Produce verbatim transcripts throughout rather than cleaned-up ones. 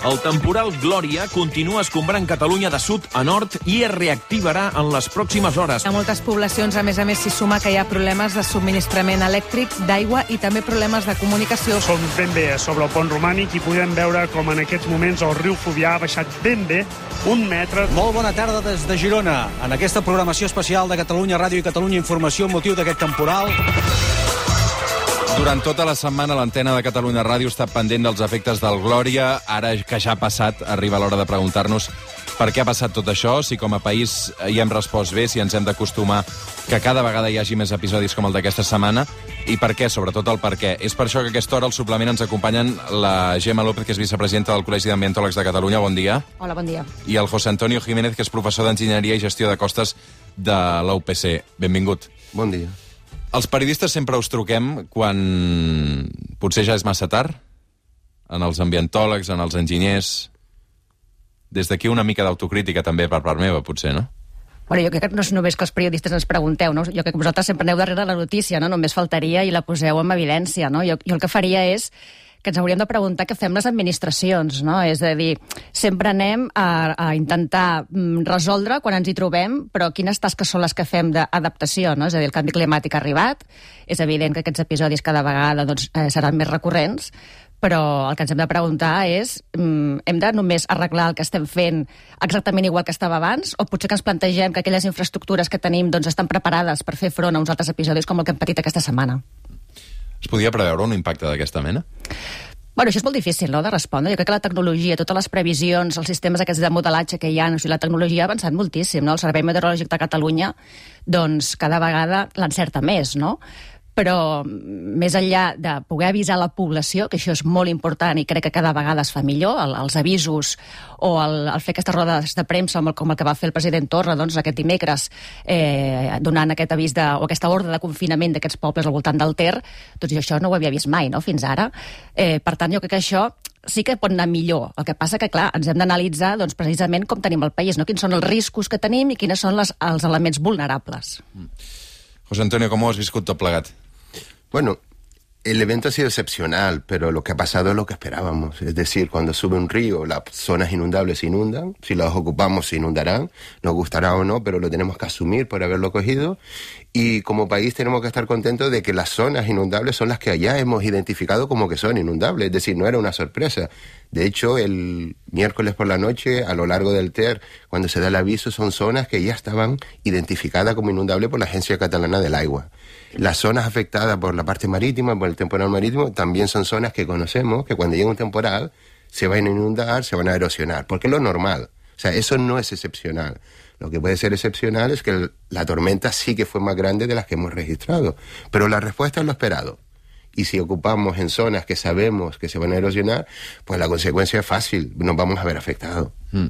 El temporal Glòria continua escombrant Catalunya de sud a nord i es reactivarà en les pròximes hores. A moltes poblacions, a més a més, s'hi suma que hi ha problemes de subministrament elèctric, d'aigua i també problemes de comunicació. Som ben bé sobre el pont romànic i podem veure com en aquests moments el riu Fluvià ha baixat ben bé un metre. Molt bona tarda des de Girona. En aquesta programació especial de Catalunya Ràdio i Catalunya Informació, amb motiu d'aquest temporal... Durant tota la setmana l'antena de Catalunya Ràdio està pendent dels efectes del Glòria. Ara que ja ha passat, arriba l'hora de preguntar-nos per què ha passat tot això, si com a país hi hem respost bé, si ens hem d'acostumar que cada vegada hi hagi més episodis com el d'aquesta setmana, i per què, sobretot el per què. És per això que a aquesta hora al suplement ens acompanyen la Gemma López, que és vicepresidenta del Col·legi d'Ambientòlegs de Catalunya. Bon dia. Hola, bon dia. I el José Antonio Jiménez, que és professor d'Enginyeria i Gestió de Costes de la U P C. Benvingut. Bon dia. Els periodistes sempre us truquem quan potser ja és massa tard, en els ambientòlegs, en els enginyers. Des d'aquí una mica d'autocrítica també per part meva, potser, no? Bueno, jo crec que no és només que els periodistes ens pregunteu, no? Jo crec que vosaltres sempre aneu darrere la notícia, no? Només faltaria i la poseu en evidència, no? Jo, jo el que faria és que ens hauríem de preguntar què fem les administracions, no? És a dir, sempre anem a, a intentar resoldre quan ens hi trobem, però quines tasques són les que fem d'adaptació, no? És a dir, el canvi climàtic ha arribat, és evident que aquests episodis cada vegada doncs, eh, seran més recurrents, però el que ens hem de preguntar és mm, hem de només arreglar el que estem fent exactament igual que estava abans, o potser que ens plantegem que aquelles infraestructures que tenim doncs, estan preparades per fer front a uns altres episodis com el que hem patit aquesta setmana. Es podia preveure un impacte d'aquesta mena? Bueno, això és molt difícil, no?, de respondre. Jo crec que la tecnologia, totes les previsions, els sistemes aquests de modelatge que hi ha, o sigui, la tecnologia ha avançat moltíssim, no? El Servei Meteorològic de Catalunya, doncs, cada vegada l'encerta més, no? Però més enllà de poder avisar la població, que això és molt important i crec que cada vegada es fa millor, el, els avisos o el, el fer aquestes rodes de premsa com el que va fer el president Torra doncs, aquest dimecres, eh, donant aquest avís de, o aquesta ordre de confinament d'aquests pobles al voltant del Ter, doncs jo això no ho havia vist mai, no?, fins ara. Eh, per tant, jo crec que això sí que pot anar millor. El que passa que, clar, ens hem d'analitzar doncs, precisament com tenim el país, no?, quins són els riscos que tenim i quines són les, els elements vulnerables. Mm. José Antonio, com ho has viscut tot plegat? Bueno, el evento ha sido excepcional, pero lo que ha pasado es lo que esperábamos. Es decir, cuando sube un río, las zonas inundables se inundan. Si las ocupamos, se inundarán. Nos gustará o no, pero lo tenemos que asumir por haberlo cogido. Y como país tenemos que estar contentos de que las zonas inundables son las que allá hemos identificado como que son inundables. Es decir, no era una sorpresa. De hecho, el miércoles por la noche, a lo largo del Ter, cuando se da el aviso, son zonas que ya estaban identificadas como inundables por la Agencia Catalana del Agua. Las zonas afectadas por la parte marítima, por el temporal marítimo, también son zonas que conocemos, que cuando llega un temporal se van a inundar, se van a erosionar, porque es lo normal. O sea, eso no es excepcional. Lo que puede ser excepcional es que el, la tormenta sí que fue más grande de las que hemos registrado. Pero la respuesta es lo esperado. Y si ocupamos en zonas que sabemos que se van a erosionar, pues la consecuencia es fàcil, nos vamos a ver afectados. Mm.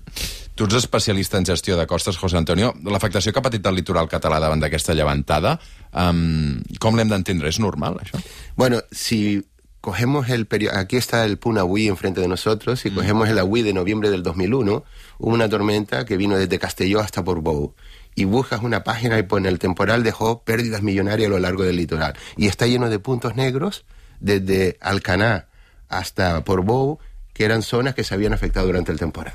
Tu ets especialista en gestió de costes, José Antonio. L'afectació que ha patit el litoral català davant d'aquesta llevantada, um, com l'hem d'entendre? És normal, això? Bueno, si cogemos el periodo, aquí está el Puna Agüí enfrente de nosotros, si mm. cogemos el Agüí de noviembre del dos mil uno, hubo una tormenta que vino desde Castelló hasta Portbou. Y buscas una página y pone el temporal dejó pérdidas millonarias a lo largo del litoral. Y está lleno de puntos negros desde Alcaná hasta Portbou, que eran zonas que se habían afectado durante el temporal.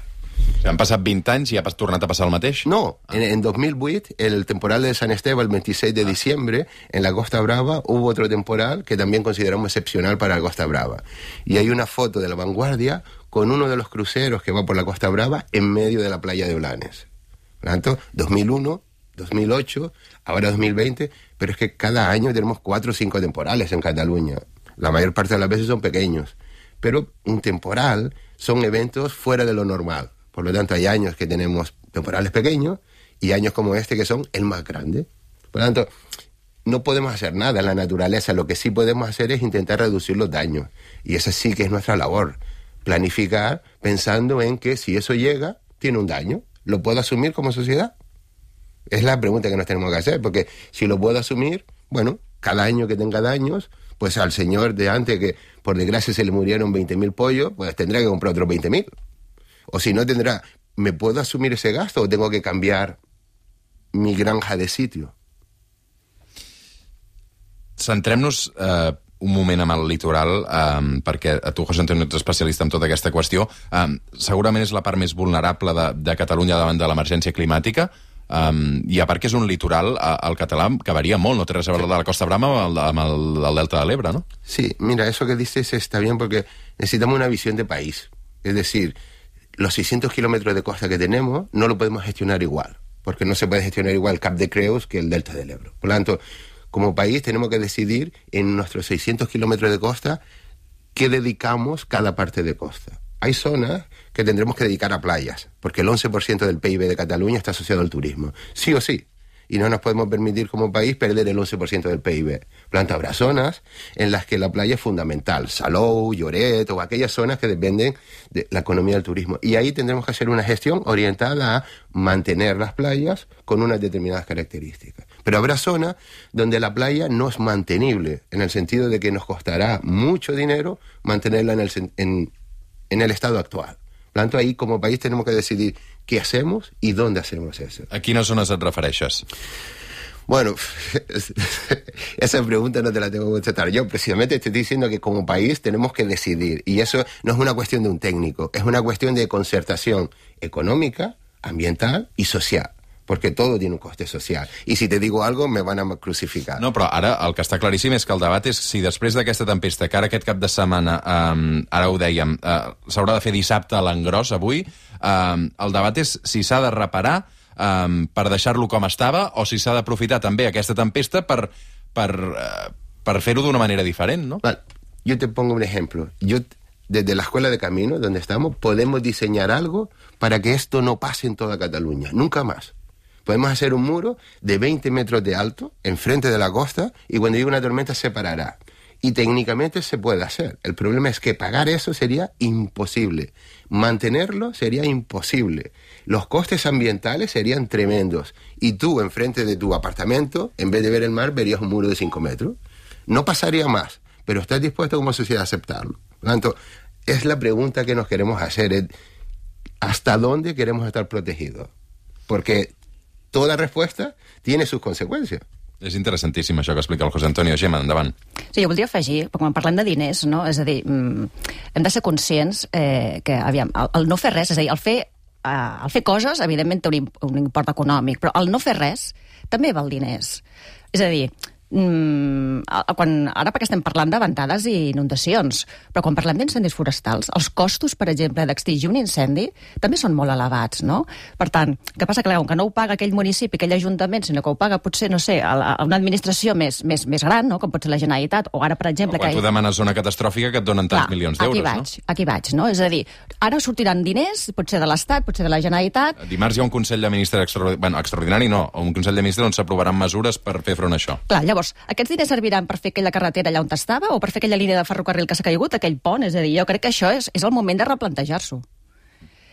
Han passat vint anys i ha tornat a passar el mateix? No, ah. en, en dos mil vuit, el temporal de San Esteban, el veintiséis de diciembre, en la Costa Brava, hubo otro temporal que también consideramos excepcional para la Costa Brava. Y hay una foto de La Vanguardia con uno de los cruceros que va por la Costa Brava en medio de la playa de Blanes. Por lo tanto, dos mil uno, dos mil ocho, ahora dos mil veinte, pero es que cada año tenemos cuatro o cinco temporales en Cataluña. La mayor parte de las veces son pequeños, pero un temporal son eventos fuera de lo normal. Por lo tanto, hay años que tenemos temporales pequeños y años como este que son el más grande. Por lo tanto, no podemos hacer nada en la naturaleza. Lo que sí podemos hacer es intentar reducir los daños. Y esa sí que es nuestra labor. Planificar pensando en que si eso llega, tiene un daño. ¿Lo puedo asumir como sociedad? Es la pregunta que nos tenemos que hacer, porque si lo puedo asumir, bueno, cada año que tenga daños, pues al señor de antes que por desgracia se le murieron veinte mil pollos, pues tendrá que comprar otros veinte mil. O si no tendrá, ¿me puedo asumir ese gasto o tengo que cambiar mi granja de sitio? Centrem-nos eh, un moment amb el litoral, um, perquè tu, José Antonio, ets especialista en tota aquesta qüestió. Um, segurament és la part més vulnerable de, de Catalunya davant de l'emergència climàtica, um, i a part que és un litoral, el català, que varia molt, no té res a veure de la Costa Brava amb el, amb el, el Delta de l'Ebre, ¿no? Sí, mira, eso que dices está bien porque necesitamos una visión de país. Es decir, los seiscientos kilómetros de costa que tenemos no lo podemos gestionar igual, porque no se puede gestionar igual Cap de Creus que el Delta del Ebro. Por lo tanto, como país tenemos que decidir en nuestros seiscientos kilómetros de costa qué dedicamos cada parte de costa. Hay zonas que tendremos que dedicar a playas, porque el once por ciento del P I B de Cataluña está asociado al turismo, sí o sí. Y no nos podemos permitir como país perder el once por ciento del P I B. Por lo tanto, habrá zonas en las que la playa es fundamental, Salou, Lloret, o aquellas zonas que dependen de la economía del turismo. Y ahí tendremos que hacer una gestión orientada a mantener las playas con unas determinadas características. Pero habrá zonas donde la playa no es mantenible, en el sentido de que nos costará mucho dinero mantenerla en el, en, en el estado actual. Por lo tanto, ahí como país tenemos que decidir qué hacemos y dónde hacemos eso. A quines zones et refereixes? Bueno, esa pregunta no te la tengo que contestar yo. Precisamente te estoy diciendo que como país tenemos que decidir. Y eso no es una cuestión de un técnico, es una cuestión de concertación económica, ambiental y social. Perquè tot tiene un coste social. I si te digo algo, me van a crucificar. No, però ara el que està claríssim és que el debat és si després d'aquesta tempesta, que ara aquest cap de setmana, um, ara ho dèiem, uh, s'haurà de fer dissabte a l'engròs, avui, um, el debat és si s'ha de reparar um, per deixar-lo com estava o si s'ha d'aprofitar també aquesta tempesta per, per, uh, per fer-ho d'una manera diferent, no? Vale. Yo te pongo un ejemplo. Yo, desde la Escuela de Camino, donde estamos, podemos diseñar algo para que esto no pase en toda Cataluña. Nunca más. Podemos hacer un muro de veinte metros de alto enfrente de la costa y cuando llegue una tormenta se parará. Y técnicamente se puede hacer. El problema es que pagar eso sería imposible. Mantenerlo sería imposible. Los costes ambientales serían tremendos. Y tú, enfrente de tu apartamento, en vez de ver el mar, verías un muro de cinco metros. No pasaría más, pero estás dispuesto como sociedad a aceptarlo. Por lo tanto, es la pregunta que nos queremos hacer. Es, ¿hasta dónde queremos estar protegidos? Porque toda respuesta tiene sus conseqüències. És interessantíssim això que explica el José Antonio. Gemma, endavant. Sí, jo voldria afegir, quan parlem de diners, no? És a dir, hem de ser conscients eh, que, aviam, el, el no fer res, és a dir, el fer, eh, el fer coses, evidentment té un, un import econòmic, però el no fer res també val diners. És a dir, Mm, quan, ara perquè estem parlant de ventades i inundacions, però quan parlem d'incendis forestals, els costos, per exemple, d'extingir un incendi també són molt elevats, no? Per tant, què passa? Que, que no ho paga aquell municipi, aquell ajuntament, sinó que ho paga potser, no sé, a, a una administració més, més, més gran, no? Com pot ser la Generalitat, o ara, per exemple... O quan que... tu demanes zona catastròfica que et donen tants Clar, milions d'euros, vaig, no? Aquí vaig, no? És a dir, ara sortiran diners, potser de l'Estat, potser de la Generalitat... Dimarts hi ha un Consell de Ministres extraordinari, bueno, extraordinari no, un Consell de Ministres on s'aprovaran mesures per fer front a això. Clar, llavors, aquests diners serviran per fer aquella carretera allà on estava o per fer aquella línia de ferrocarril que s'ha caigut, aquell pont? És a dir, jo crec que això és, és el moment de replantejar-s'ho.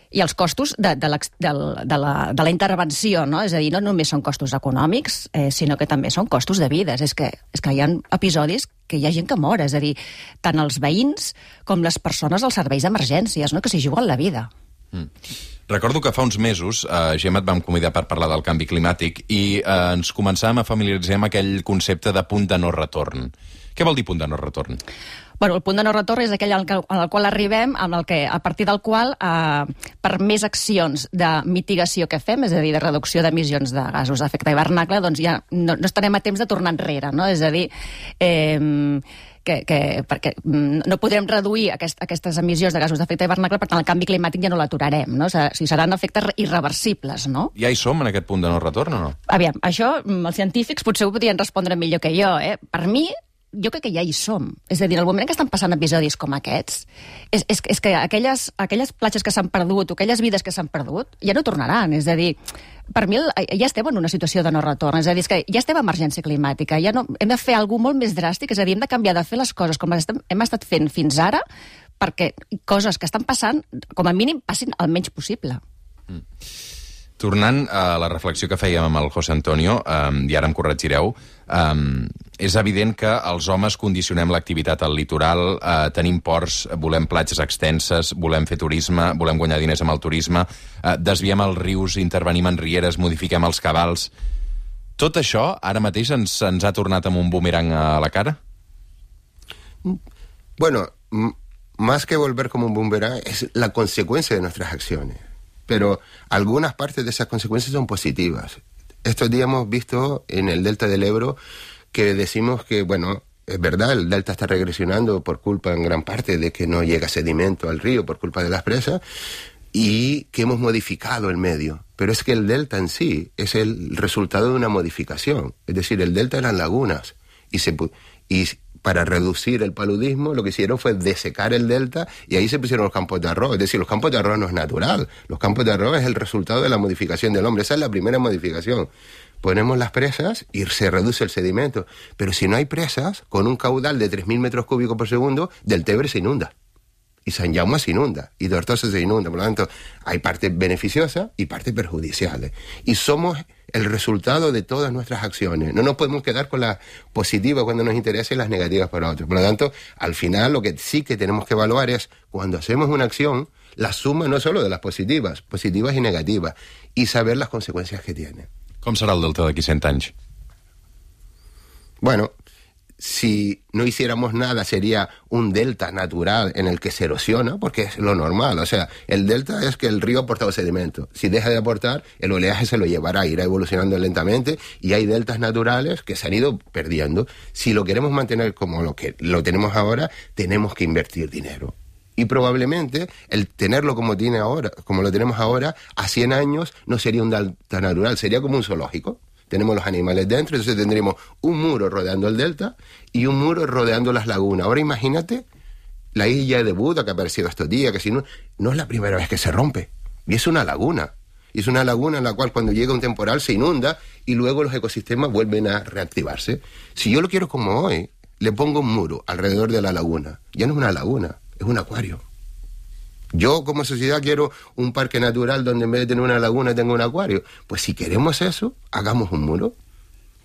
I els costos de, de, de, de, la, de la intervenció, no? És a dir, no només són costos econòmics, eh, sinó que també són costos de vides. És que, és que hi ha episodis que hi ha gent que mor, és a dir, tant els veïns com les persones als serveis d'emergències, no? Que s'hi juguen la vida. Mm. Recordo que fa uns mesos, eh, Gemma, et vam convidar per parlar del canvi climàtic i eh, ens començàvem a familiaritzar amb aquell concepte de punt de no retorn. Què vol dir punt de no retorn? Bueno, el punt de no retorn és aquell al, que, al qual arribem, amb el que, a partir del qual, eh, per més accions de mitigació que fem, és a dir, de reducció d'emissions de gasos d'efecte hivernacle, doncs ja no, no estarem a temps de tornar enrere, no? És a dir, eh, que, que, perquè no podrem reduir aquest, aquestes emissions de gasos d'efecte hivernacle, per tant, el canvi climàtic ja no l'aturarem, no? O sigui, seran efectes irreversibles, no? Ja hi som en aquest punt de no retorn o no? Aviam, això els científics potser ho podrien respondre millor que jo, eh? Per mi, jo crec que ja hi som. És a dir, en el moment en què estan passant episodis com aquests, és, és, és que aquelles, aquelles platges que s'han perdut o aquelles vides que s'han perdut ja no tornaran. És a dir, per mi ja estem en una situació de no retorn. És a dir, és que ja estem en emergència climàtica. Ja no, hem de fer alguna molt més dràstic, és a dir, hem de canviar de fer les coses com estem, hem estat fent fins ara perquè coses que estan passant, com a mínim, passin el menys possible. Mm. Tornant a la reflexió que fèiem amb el José Antonio, um, i ara em corregireu, um, és evident que els homes condicionem l'activitat al litoral, uh, tenim ports, volem platges extenses, volem fer turisme, volem guanyar diners amb el turisme, uh, desviem els rius, intervenim en rieres, modifiquem els cabals. Tot això ara mateix ens, ens ha tornat amb un bumerang a la cara? Bueno, m- más que volver como un boomerang, es la consecuencia de nuestras acciones. Pero algunas partes de esas consecuencias son positivas. Estos días hemos visto en el delta del Ebro que decimos que, bueno, es verdad, el delta está regresionando por culpa en gran parte de que no llega sedimento al río, por culpa de las presas, y que hemos modificado el medio. Pero es que el delta en sí es el resultado de una modificación. Es decir, el delta eran lagunas. Y, se, y para reducir el paludismo, lo que hicieron fue desecar el delta y ahí se pusieron los campos de arroz. Es decir, los campos de arroz no es natural. Los campos de arroz es el resultado de la modificación del hombre. Esa es la primera modificación. Ponemos las presas y se reduce el sedimento. Pero si no hay presas, con un caudal de tres mil metros cúbicos por segundo, del Tebre se inunda. Y San Jaume se inunda. Y Tortosa se inunda. Por lo tanto, hay partes beneficiosas y partes perjudiciales. Y somos el resultado de todas nuestras acciones. No nos podemos quedar con las positivas cuando nos interesa y las negativas para otros. Por lo tanto, al final, lo que sí que tenemos que evaluar es, cuando hacemos una acción, la suma no solo de las positivas, positivas y negativas, y saber las consecuencias que tiene. Com serà el delta d'aquí cent anys? Bueno, si no hiciéramos nada sería un delta natural en el que se erosiona, porque es lo normal. O sea, el delta es que el río ha aportado sedimento. Si deja de aportar, el oleaje se lo llevará, irá evolucionando lentamente, y hay deltas naturales que se han ido perdiendo. Si lo queremos mantener como lo que lo tenemos ahora, tenemos que invertir dinero. Y probablemente el tenerlo como tiene ahora, como lo tenemos ahora, a cien años no sería un delta natural, sería como un zoológico. Tenemos los animales dentro, entonces tendremos un muro rodeando el delta y un muro rodeando las lagunas. Ahora imagínate la isla de Buda que ha aparecido estos días, que si no, no es la primera vez que se rompe. Y es una laguna. Y es una laguna en la cual cuando llega un temporal se inunda y luego los ecosistemas vuelven a reactivarse. Si yo lo quiero como hoy, le pongo un muro alrededor de la laguna. Ya no es una laguna, es un acuario. Yo como sociedad quiero un parque natural donde en vez de tener una laguna tenga un acuario. Pues si queremos eso, hagamos un muro.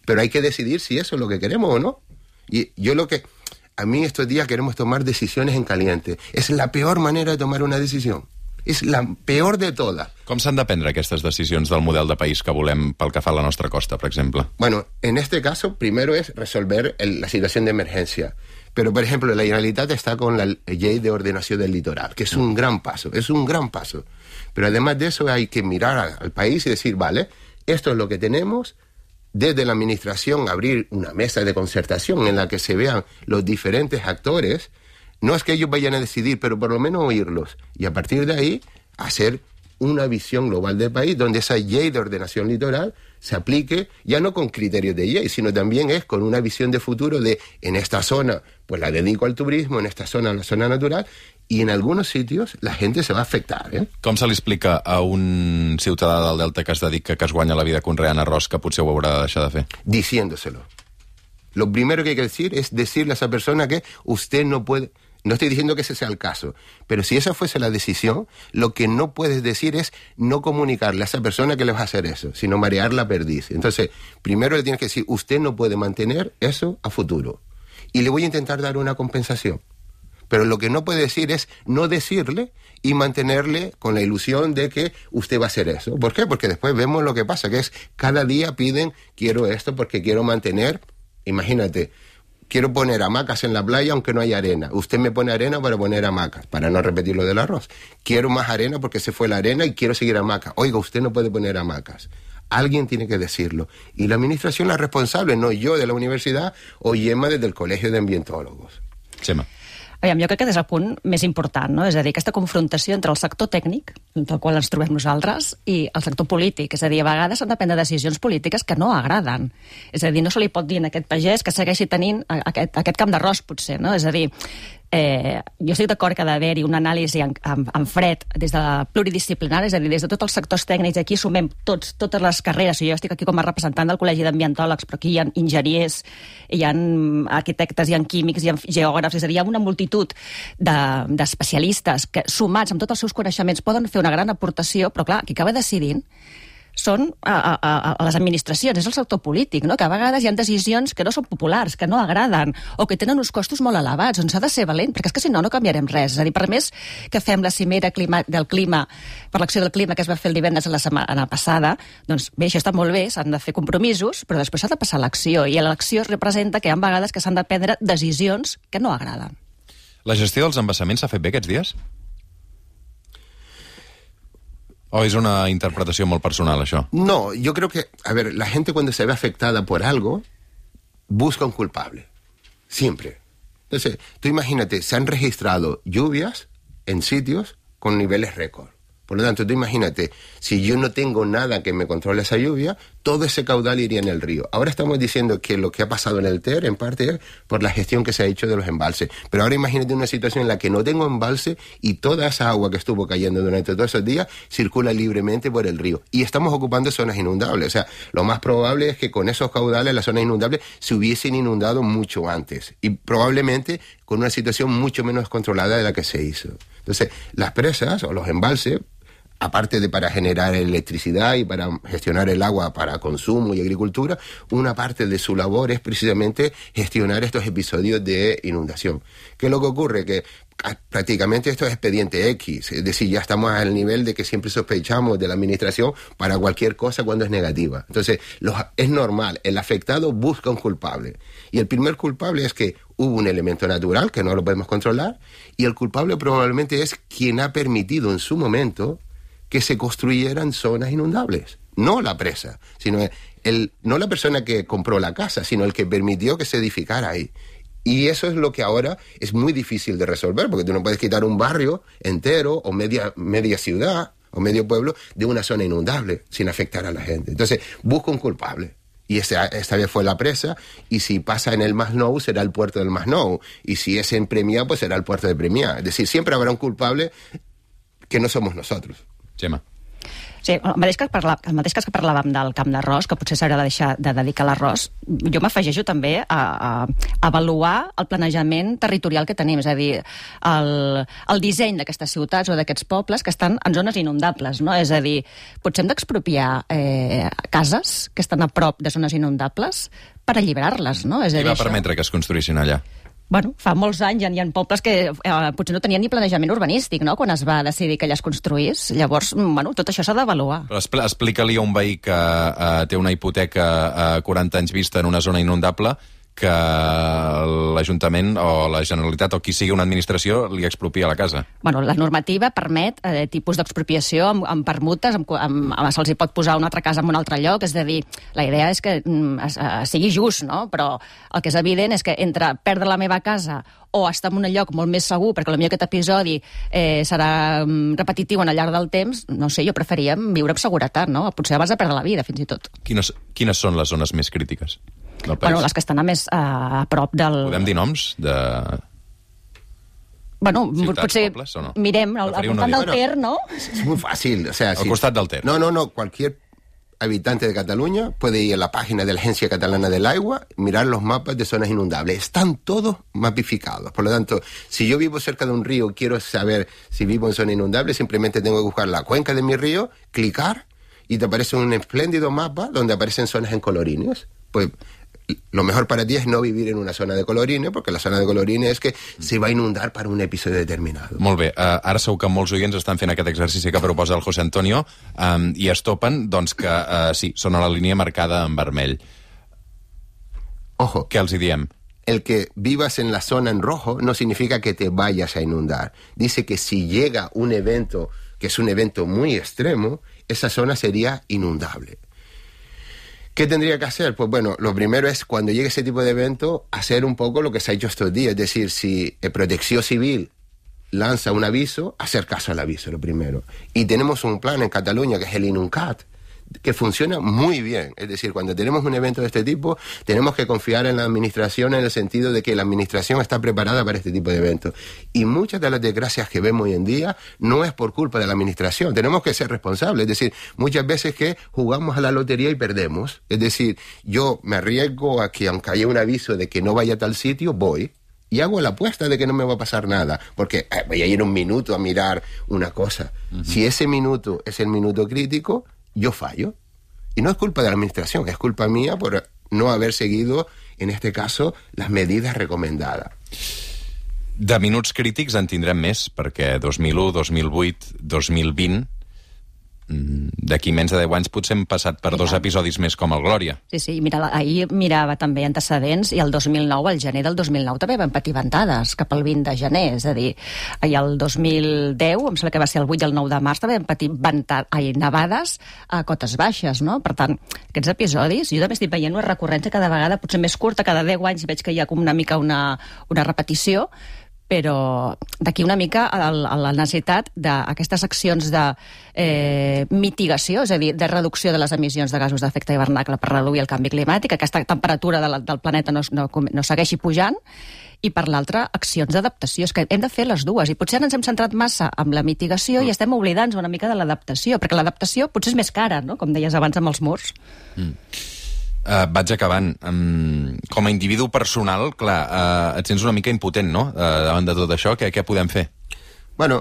Pero hay que decidir si eso es lo que queremos o no. Y yo lo que... A mí estos días queremos tomar decisiones en caliente. Es la peor manera de tomar una decisión. És la peor de todas. Com s'han de prendre aquestes decisions del model de país que volem pel que fa a la nostra costa, por ejemplo? Bueno, en este caso, primero es resolver el, la situación de emergencia. Pero, por ejemplo, la Generalitat está con la ley de ordenación del litoral, que es un gran paso, es un gran paso. Pero además de eso hay que mirar al, al país y decir, vale, esto es lo que tenemos. Desde la administración abrir una mesa de concertación en la que se vean los diferentes actores. No es que ellos vayan a decidir, pero por lo menos oírlos. Y a partir de ahí, hacer una visión global del país, donde esa ley de ordenación litoral se aplique, ya no con criterios de ley, sino también es con una visión de futuro de, en esta zona, pues la dedico al turismo, en esta zona a la zona natural, y en algunos sitios la gente se va a afectar. ¿eh? Com se li explica a un ciutadà del Delta que es dedica, que es guanya la vida conreant arròs, que potser ho haurà de deixar de fer? Diciéndoselo. Lo primero que hay que decir es decirle a esa persona que usted no puede... No estoy diciendo que ese sea el caso, pero si esa fuese la decisión, lo que no puedes decir es no comunicarle a esa persona que le vas a hacer eso, sino marear la perdiz. Entonces, primero le tienes que decir, usted no puede mantener eso a futuro. Y le voy a intentar dar una compensación. Pero lo que no puede decir es no decirle y mantenerle con la ilusión de que usted va a hacer eso. ¿Por qué? Porque después vemos lo que pasa, que es cada día piden, quiero esto porque quiero mantener, imagínate, quiero poner hamacas en la playa aunque no haya arena. Usted me pone arena para poner hamacas, para no repetir lo del arroz. Quiero más arena porque se fue la arena y quiero seguir hamacas. Oiga, usted no puede poner hamacas. Alguien tiene que decirlo. Y la administración es la responsable, no yo de la universidad o Gemma desde el Colegio de Ambientólogos. Gemma. Aviam, jo crec que és el punt més important, no? És a dir, aquesta confrontació entre el sector tècnic, del qual ens trobem nosaltres, i el sector polític. És a dir, a vegades s'han de prendre decisions polítiques que no agraden. És a dir, no se li pot dir a aquest pagès que segueixi tenint aquest, aquest camp d'arròs, potser, no? És a dir, eh, jo estic d'acord que ha d'haver-hi una anàlisi en, en, en fred des de la pluridisciplinar, és a dir, des de tots els sectors tècnics, aquí sumem tots, totes les carreres, i jo estic aquí com a representant del Col·legi d'Ambientòlegs, però aquí hi ha enginyers, hi ha arquitectes, hi ha químics, hi ha geògrafs, és a dir, hi ha una multitud d'especialistes de, que, sumats amb tots els seus coneixements, poden fer una gran aportació, però clar, qui acaba decidint són a, a, a les administracions, és el sector polític, no? Que a vegades hi ha decisions que no són populars, que no agraden, o que tenen uns costos molt elevats, on s'ha de ser valent, perquè és que si no, no canviarem res. És a dir, per més que fem la cimera clima, del clima, per l'acció del clima que es va fer el divendres la setmana passada, doncs bé, això està molt bé, s'han de fer compromisos, però després s'ha de passar a l'acció, i a l'acció representa que hi ha vegades que s'han de prendre decisions que no agraden. La gestió dels embassaments s'ha fet bé aquests dies? ¿O es una interpretación muy personal eso? No, yo creo que, a ver, la gente cuando se ve afectada por algo, busca un culpable. Siempre. Entonces, tú imagínate, se han registrado lluvias en sitios con niveles récord. Por lo tanto, tú imagínate, si yo no tengo nada que me controle esa lluvia, todo ese caudal iría en el río. Ahora estamos diciendo que lo que ha pasado en el Ter, en parte, es por la gestión que se ha hecho de los embalses. Pero ahora imagínate una situación en la que no tengo embalse y toda esa agua que estuvo cayendo durante todos esos días circula libremente por el río. Y estamos ocupando zonas inundables. O sea, lo más probable es que con esos caudales las zonas inundables se hubiesen inundado mucho antes. Y probablemente con una situación mucho menos controlada de la que se hizo. Entonces, las presas o los embalses, aparte de para generar electricidad y para gestionar el agua para consumo y agricultura, una parte de su labor es precisamente gestionar estos episodios de inundación. ¿Qué es lo que ocurre? Que prácticamente esto es expediente X, es decir, ya estamos al nivel de que siempre sospechamos de la administración para cualquier cosa cuando es negativa. Entonces, los, es normal, el afectado busca un culpable. Y el primer culpable es que hubo un elemento natural que no lo podemos controlar, y el culpable probablemente es quien ha permitido en su momento que se construyeran zonas inundables. No la presa, sino el, no la persona que compró la casa, sino el que permitió que se edificara ahí. Y eso es lo que ahora es muy difícil de resolver, porque tú no puedes quitar un barrio entero o media, media ciudad o medio pueblo de una zona inundable sin afectar a la gente. Entonces, busca un culpable. Y esta, esta vez fue la presa, y si pasa en el Masnou, será el puerto del Masnou. Y si es en Premià, pues será el puerto de Premià. Es decir, siempre habrá un culpable que no somos nosotros. Gemma. Sí, el mateix, que parla, el mateix cas que parlàvem del camp d'arròs, que potser s'haurà de deixar de dedicar a l'arròs, jo m'afegeixo també a, a, a avaluar el planejament territorial que tenim, és a dir, el, el disseny d'aquestes ciutats o d'aquests pobles que estan en zones inundables, no? És a dir, potser hem d'expropiar eh, cases que estan a prop de zones inundables per alliberar-les, no? És a dir, Qui va això... permetre que es construïssin allà? Bueno, fa molts anys hi ha, hi ha pobles que eh, potser no tenien ni planejament urbanístic, no?, quan es va decidir que allà es construís. Llavors, bueno, tot això s'ha d'avaluar. Però expl explica-li a un veí que eh, té una hipoteca a quaranta anys vista en una zona inundable que l'Ajuntament o la Generalitat o qui sigui una administració li expropia la casa. Bueno, la normativa permet eh, tipus d'expropiació amb, amb permutes, amb, amb, amb, se'ls hi pot posar una altra casa en un altre lloc, és a dir, la idea és que mm, es, es, sigui just, no? Però el que és evident és que entre perdre la meva casa o estar en un lloc molt més segur, perquè potser aquest episodi eh, serà mm, repetitiu en el llarg del temps, no sé, jo preferia viure amb seguretat, no? Potser abans de perdre la vida, fins i tot. Quines, quines són les zones més crítiques? Bueno, les que estan a més a, a prop del... Podem dir noms de... Bueno, ciutats, potser pobles, o no? Mirem al, al costat del Ter, ¿no? Es muy fácil. O sea, al si... costat del Ter. No, no, no. Cualquier habitante de Cataluña puede ir a la página de la Agencia Catalana del Agua, mirar los mapas de zonas inundables. Están todos mapificados. Por lo tanto, si yo vivo cerca de un río y quiero saber si vivo en zona inundable, simplemente tengo que buscar la cuenca de mi río, clicar, y te aparece un espléndido mapa donde aparecen zonas en colorines. Pues lo mejor para ti es no vivir en una zona de colorines, porque la zona de colorines és que se va a inundar per un episodi determinat. Molt bé, uh, ara segur que molts oients estan fent aquest exercici que proposa el José Antonio um, i es topen, doncs, que uh, sí, són a la línia marcada en vermell. Ojo. Què els hi diem? El que vivas en la zona en rojo no significa que te vayas a inundar. Dice que si llega un evento, que es un evento muy extremo, esa zona sería inundable. ¿Qué tendría que hacer? Pues bueno, lo primero es, cuando llegue ese tipo de evento, hacer un poco lo que se ha hecho estos días. Es decir, si Protección Civil lanza un aviso, hacer caso al aviso, lo primero. Y tenemos un plan en Cataluña, que es el INUNCAT, que funciona muy bien. Es decir, cuando tenemos un evento de este tipo, tenemos que confiar en la administración, en el sentido de que la administración está preparada para este tipo de eventos. Y muchas de las desgracias que vemos hoy en día no es por culpa de la administración. Tenemos que ser responsables. Es decir, muchas veces que jugamos a la lotería y perdemos. Es decir, yo me arriesgo a que, aunque haya un aviso de que no vaya a tal sitio, voy. Y hago la apuesta de que no me va a pasar nada, porque eh, voy a ir un minuto a mirar una cosa. Uh-huh. Si ese minuto es el minuto crítico, yo fallo. Y no es culpa de la administración, es culpa mía por no haber seguido, en este caso, las medidas recomendadas. De minuts crítics en tindrem més, perquè dos mil u, dos mil vuit, dos mil vint, d'aquí menys de deu anys potser hem passat per dos episodis més com el Glòria. Sí, sí, mira, ahir mirava també antecedents i el dos mil nou, el gener del dos mil nou, també vam patir ventades cap al vint de gener, és a dir, i el dos mil deu, em sembla que va ser el vuit i el nou de març, també vam patir venta... ai, nevades a cotes baixes, no? Per tant, aquests episodis, jo també estic veient una recurrència cada vegada potser més curta, cada deu anys veig que hi ha com una mica una, una repetició, però d'aquí una mica a la necessitat d'aquestes accions de eh, mitigació, és a dir, de reducció de les emissions de gasos d'efecte hivernacle per reduir el canvi climàtic, aquesta temperatura de la, del planeta no, no, no segueixi pujant, i per l'altra, accions d'adaptació. És que hem de fer les dues, i potser ens hem centrat massa en la mitigació mm. i estem oblidant una mica de l'adaptació, perquè l'adaptació potser és més cara, no?, com deies abans amb els murs. Mm. Uh, vaig acabant. Um, com a individu personal, clar, uh, et sents una mica impotent, no?, uh, davant de tot això. Què, què podem fer? Bueno,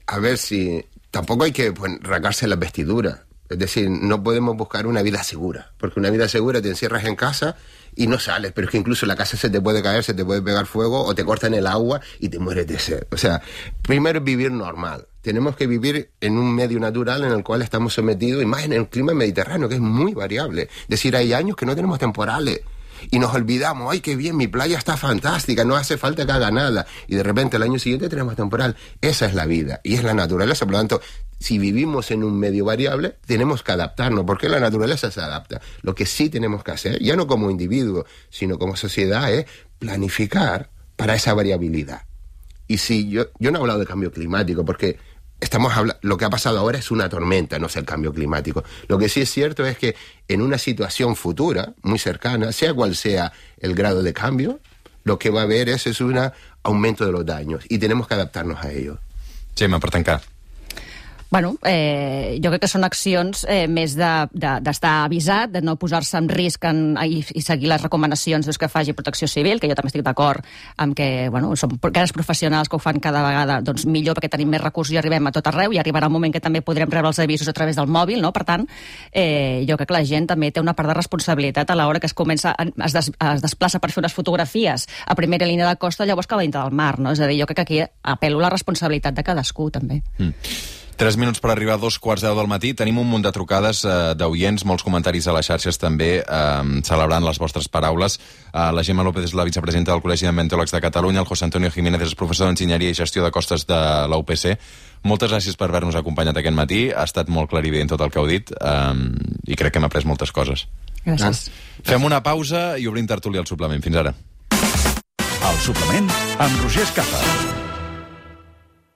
a ver si... Tampoco hay que pues, rasgarse las vestiduras. Es decir, no podemos buscar una vida segura, porque una vida segura te encierras en casa y no sales, pero es que incluso la casa se te puede caer, se te puede pegar fuego o te cortan el agua y te mueres de sed. O sea, primero es vivir normal. Tenemos que vivir en un medio natural en el cual estamos sometidos, y más en el clima mediterráneo, que es muy variable. Es decir, hay años que no tenemos temporales y nos olvidamos, ¡ay, qué bien, mi playa está fantástica, no hace falta que haga nada! Y de repente el año siguiente tenemos temporal. Esa es la vida y es la naturaleza. Por lo tanto, si vivimos en un medio variable, tenemos que adaptarnos, porque la naturaleza se adapta. Lo que sí tenemos que hacer, ya no como individuo, sino como sociedad, es planificar para esa variabilidad. Y si yo, yo no he hablado de cambio climático, porque estamos habla- lo que ha pasado ahora es una tormenta, no es el cambio climático. Lo que sí es cierto es que en una situación futura, muy cercana, sea cual sea el grado de cambio, lo que va a haber es, es un aumento de los daños, y tenemos que adaptarnos a ello. Gemma, per tancar. Bueno, eh, jo crec que són accions eh, més d'estar de, de, avisat, de no posar-se en risc en, i, i seguir les recomanacions doncs, que faci Protecció Civil, que jo també estic d'acord amb que bueno, són grans professionals que ho fan cada vegada doncs, millor, perquè tenim més recursos i arribem a tot arreu, i arribarà un moment que també podrem rebre els avisos a través del mòbil, no? Per tant, eh, jo crec que la gent també té una part de responsabilitat a l'hora que es comença, es, des, es desplaça per fer unes fotografies a primera línia de costa, llavors que va dintre del mar, no? És a dir, jo crec que aquí apel·lo la responsabilitat de cadascú, també. Mm. Tres minuts per arribar a dos quarts deu del matí. Tenim un munt de trucades eh, d'oients, molts comentaris a les xarxes també, eh, celebrant les vostres paraules. Eh, la Gemma López és la vicepresidenta del Col·legi d'Ambientòlegs de Catalunya, el José Antonio Jiménez és professor d'Enginyeria i Gestió de Costes de la U P C. Moltes gràcies per haver-nos acompanyat aquest matí. Ha estat molt clarivident tot el que heu dit, eh, i crec que hem après moltes coses. Gràcies. Fem una pausa i obrim tertúlia al suplement. Fins ara. El suplement amb Roger Escapa.